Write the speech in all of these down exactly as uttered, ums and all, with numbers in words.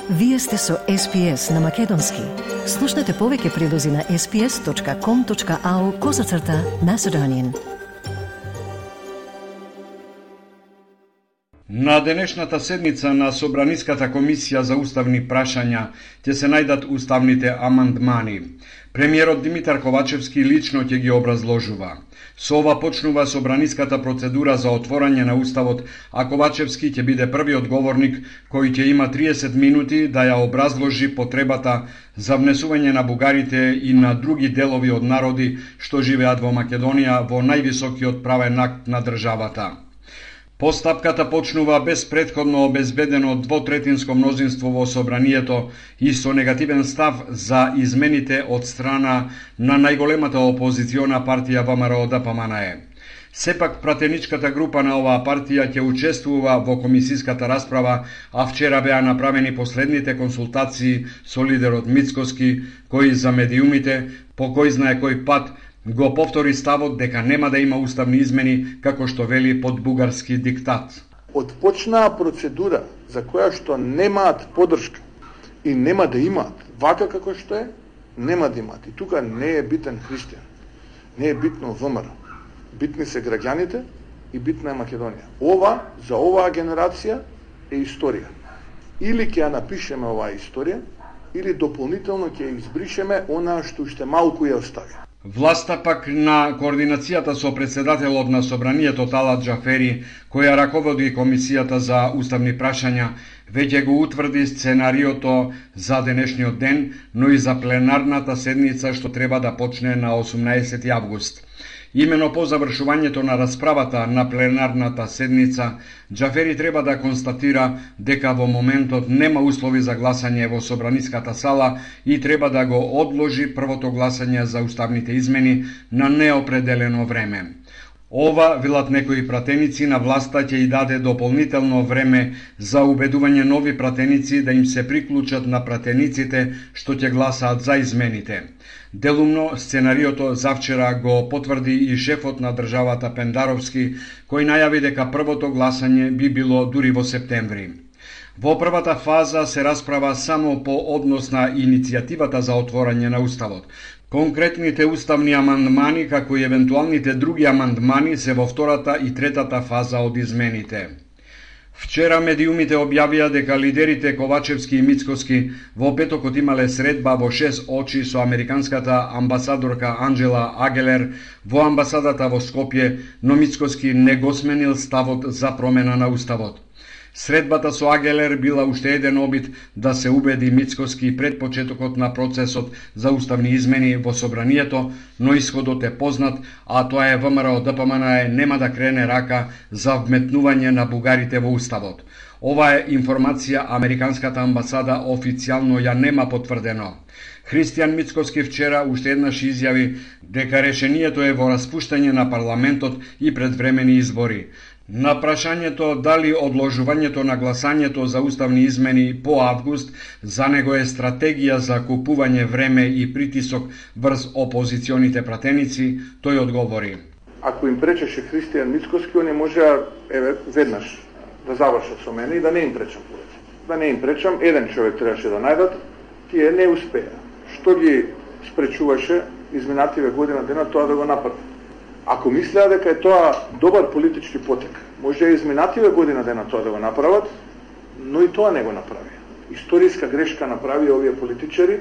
Вие сте со Ес Пи Ес на Македонски. Слушнете повеќе прилози на ес пи ес точка ком точка ау козацрта Macedonian. На денешната седница на Собраниската комисија за уставни прашања ќе се најдат уставните амандмани. Премиерот Димитар Ковачевски лично ќе ги образложува. Со ова почнува собраниската процедура за отворање на уставот, а Ковачевски ќе биде првиот говорник кој ќе има триесет минути да ја образложи потребата за внесување на бугарите и на други делови од народи што живеат во Македонија во највисокиот правен акт на државата. Постапката почнува без претходно обезбедено двотретинско мнозинство во собранието и со негативен став за измените од страна на најголемата опозициона партија Вэ Ем Ар О Д П М Н Е. Сепак пратеничката група на оваа партија ќе учествува во комисиската расправа, а вчера беа направени последните консултации со лидерот Мицкоски, кој за медиумите по кој знае кој пат го повтори ставот дека нема да има уставни измени, како што вели под бугарски диктат. Отпочнаа процедура за која што немаат поддршка и нема да имаат, вака како што е, нема да имаат. И тука не е битен христијан, не е битно Вэ Ем Ар О. Битни се граѓаните и битна е Македонија. Ова, за оваа генерација е историја. Или ќе ја напишеме оваа историја, или дополнително ќе ја избришеме онаа што уште малку ја остави. Власта пак на координацијата со председателот на собранието Талат Джафери, која раководи комисијата за уставни прашања, веќе го утврди сценариото за денешниот ден, но и за пленарната седница што треба да почне на осумнаесети август. Имено по завршувањето на расправата на пленарната седница, Джафери треба да констатира дека во моментот нема услови за гласање во собраниската сала и треба да го одложи првото гласање за уставните измени на неопределено време. Ова, велат некои пратеници, на власта ќе и даде дополнително време за убедување нови пратеници да им се приклучат на пратениците што ќе гласаат за измените. Делумно сценариото завчера го потврди и шефот на државата Пендаровски, кој најави дека првото гласање би било дури во септември. Во првата фаза се расправа само по однос на иницијативата за отворање на уставот. Конкретните уставни амандмани, како и евентуалните други амандмани, се во втората и третата фаза од измените. Вчера медиумите објавија дека лидерите Ковачевски и Мицкоски во петокот имале средба во шест очи со американската амбасадорка Анджела Агелер во амбасадата во Скопје, но Мицкоски не го сменил ставот за промена на уставот. Средбата со Агелер била уште еден обид да се убеди Мицкоски пред почетокот на процесот за уставни измени во собранието, но исходот е познат, а тоа е Вэ Ем Ар О Д П М Н Е нема да крене рака за вметнување на бугарите во уставот. Ова е информација американската амбасада официјално ја нема потврдено. Христијан Мицкоски вчера уште еднаш изјави дека решението е во распуштање на парламентот и предвремени избори. На прашањето дали одложувањето на гласањето за уставни измени по август за него е стратегија за купување време и притисок врз опозиционите пратеници, тој одговори. Ако им пречеше Христијан Мицкоски, они можеа еве веднаш да завршат со мене и да не им пречам повеќе. Да не им пречам, еден човек требаше да најдат, тие не успеа. Што ги спречуваше изминативе година дена тоа да го направат? Ако мислеа дека е тоа добар политички потек, може и изминативе година дена тоа да го направат, но и тоа не го направи. Историска грешка направи овие политичари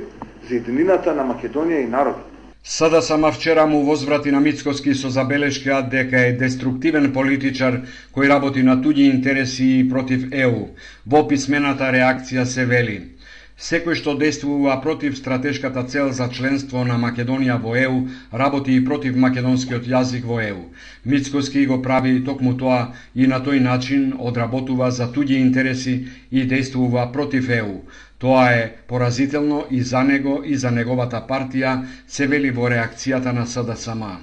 за единината на Македонија и народот. Сада сама вчера му возврати на Мицкоски со забелешка дека е деструктивен политичар кој работи на туѓи интереси и против Е У. Во писмената реакција се вели: секој што действува против стратешката цел за членство на Македонија во Е У, работи и против македонскиот јазик во Е У. Мицкоски го прави токму тоа и на тој начин одработува за туѓи интереси и действува против Е У. Тоа е поразително и за него и за неговата партија, се вели во реакцијата на С Д С М.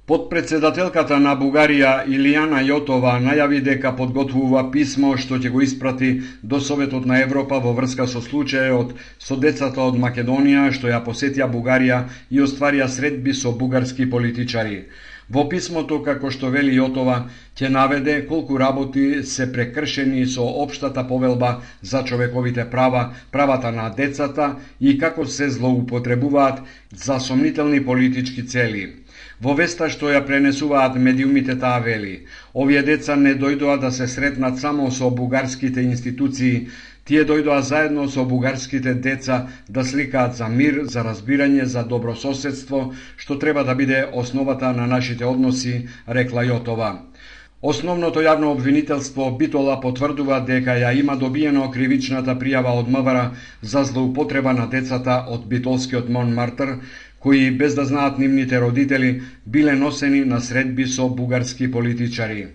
Подпредседателката на Бугарија Илијана Јотова најави дека подготвува писмо што ќе го испрати до Советот на Европа во врска со случајот со децата од Македонија што ја посетија Бугарија и остварија средби со бугарски политичари. Во писмото, како што вели Јотова, ќе наведе колку работи се прекршени со општата повелба за човековите права, правата на децата и како се злоупотребуваат за сомнителни политички цели. Во веста што ја пренесуваат медиумите таа вели: овие деца не дојдоа да се сретнат само со бугарските институции, тие дојдоа заедно со бугарските деца да сликаат за мир, за разбирање, за добрососедство, што треба да биде основата на нашите односи, рекла Јотова. Основното јавно обвинителство Битола потврдува дека ја има добиено кривичната пријава од МВР за злоупотреба на децата од битолскиот Монмартр, кои без да знаат нивните родители биле носени на средби со бугарски политичари.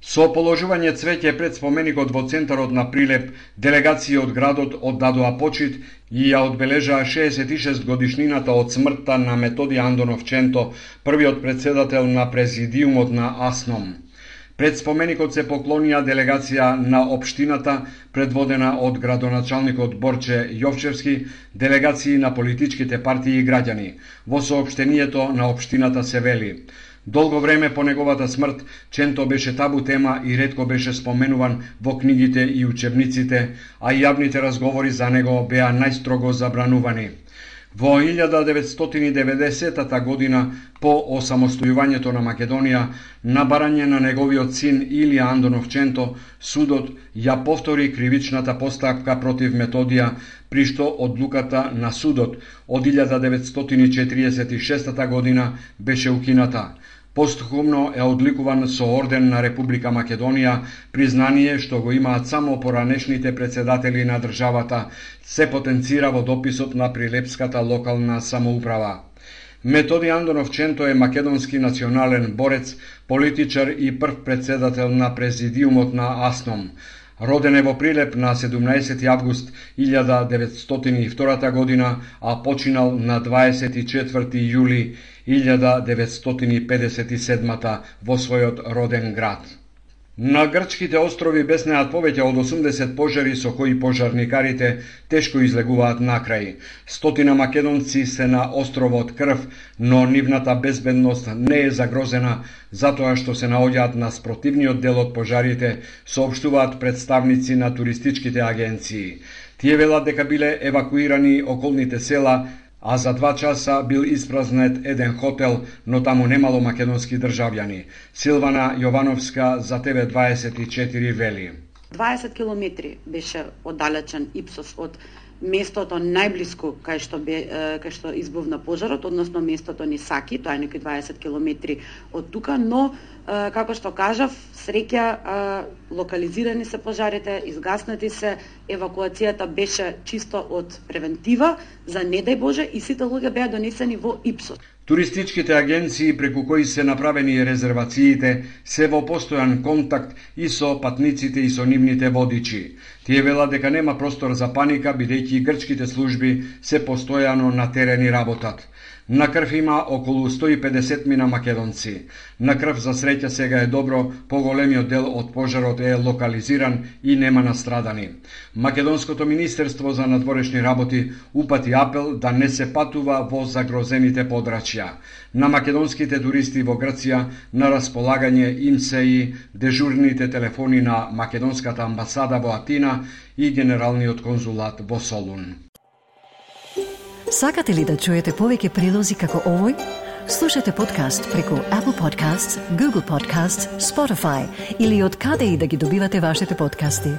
Со положување цвеќе пред споменикот во центарот на Прилеп, делегации од градот оддадоа почит и ја одбележаа шеесет и шест годишнината од смртта на Методи Андонов Ченто, првиот председател на президиумот на АСНОМ. Пред споменикот се поклонија делегација на општината, предводена од градоначалникот Борче Јовчевски, делегации на политичките партии и граѓани. Во соопштението на општината се вели: долго време по неговата смрт Ченто беше табу тема и ретко беше споменуван во книгите и учебниците, а јавните разговори за него беа најстрого забранувани. Во илјада деветстотини и деветдесетата година, по осамостојувањето на Македонија, на барање на неговиот син Илија Андонов Ченто, судот ја повтори кривичната постапка против Методија, при што одлуката на судот од илјада деветстотини и четиридесет и шестата година беше укината. Постхумно е одликуван со орден на Република Македонија, признание што го имаат само поранешните председатели на државата, се потенцира во дописот на Прилепската локална самоуправа. Методи Андонов Ченто е македонски национален борец, политичар и прв председател на президиумот на АСНОМ. Роден е во Прилеп на седумнаесети август илјада деветстотини и втора година, а починал на дваесет и четврти јули илјада деветстотини и педесет и седма во својот роден град. На грчките острови беснеат повеќе од осумдесет пожари со кои пожарникарите тешко излегуваат накрај. Стотина македонци се на островот Крв, но нивната безбедност не е загрозена затоа што се наоѓаат на спротивниот дел од пожарите, соопштуваат представници на туристичките агенции. Тие велат дека биле евакуирани околните села, а за два часа бил испразнет еден хотел, но таму немало македонски државјани. Силвана Јовановска за Т В дваесет и четири вели: дваесет километри беше оддалечен Ипсос од местото најблиску кај што бе кај што избувна пожарот, односно местото Нисаки, тоа е некои дваесет километри од тука, но како што кажав, среќа локализирани се пожарите, изгаснати се, евакуацијата беше чисто од превентива за не дај Боже и сите луѓе беа донесени во Ипсос. Туристичките агенции преку кои се направени резервациите се во постојан контакт и со патниците и со нивните водичи. Тие велат дека нема простор за паника, бидејќи грчките служби се постојано на терен и работат. На Крв има околу сто и педесет мина македонци. На Крв за среќа сега е добро, поголемиот дел од пожарот е локализиран и нема настрадани. Македонското министерство за надворешни работи упати апел да не се патува во загрозените подрачја. На македонските туристи во Грција на располагање им се и дежурните телефони на македонската амбасада во Атина и генералниот конзулат во Солун. Сакате ли да чуете повеќе прилози како овој? Слушате подкаст преку Apple Podcasts, Google Podcasts, Spotify или од каде и да ги добивате вашите подкасти.